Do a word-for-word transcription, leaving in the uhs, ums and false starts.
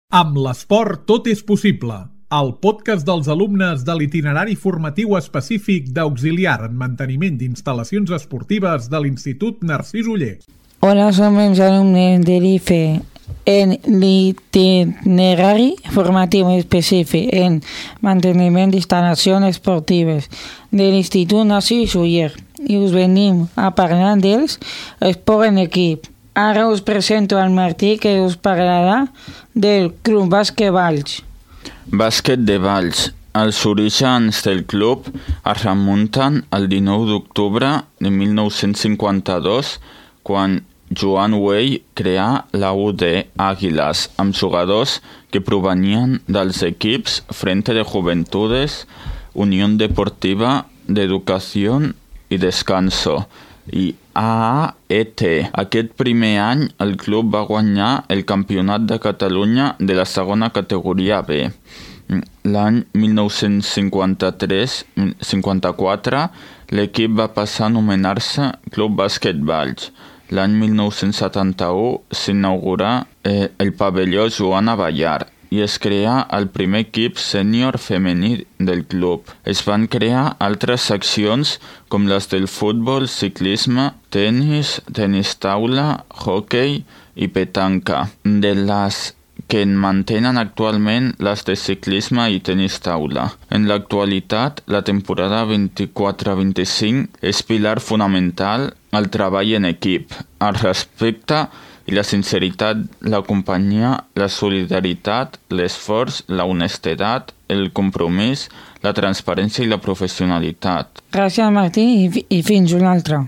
Amb l'esport tot és possible. El podcast dels alumnes de l'itinerari formatiu específic d'auxiliar en manteniment d'instal·lacions esportives de l'Institut Narcís Oller. Hola, som els alumnes de l'I F E en l'itinerari formatiu específic en manteniment d'instal·lacions esportives de l'Institut Narcís Oller i us venim a parlar dels esport en equip. Ara us presento al Martí, que us parlarà del Club Bàsquet Valls. Bàsquet de Valls. Els orígens del club es remunten al dinou d'octubre de mil nou-cents cinquanta-dos, quan Joan Güell creà la U D Àguiles, amb jugadors que provenien dels equips Frente de Juventudes, Unión Deportiva d'Educació i Descanso i A A E T. Aquest primer any el club va guanyar el Campionat de Catalunya de la segona categoria B. L'any mil nou-cents cinquanta-tres cinquanta-quatre l'equip va passar a anomenar-se Club Bàsquet Valls. L'any mil nou-cents setanta-u s'inaugurà eh, el pavelló Joana Ballar i es creà el primer equip sènior femení del club. Es van crear altres seccions com les del futbol, ciclisme, tenis, tenis taula, hoquei i petanca. De les que en mantenen actualment les de ciclisme i tenis taula. En l'actualitat, la temporada vint-i-quatre vint-i-cinc és pilar fonamental al treball en equip, el respecte i la sinceritat, la companyia, la solidaritat, l'esforç, la honestedat, el compromís, la transparència i la professionalitat. Gràcies, Martí, i fins una altra.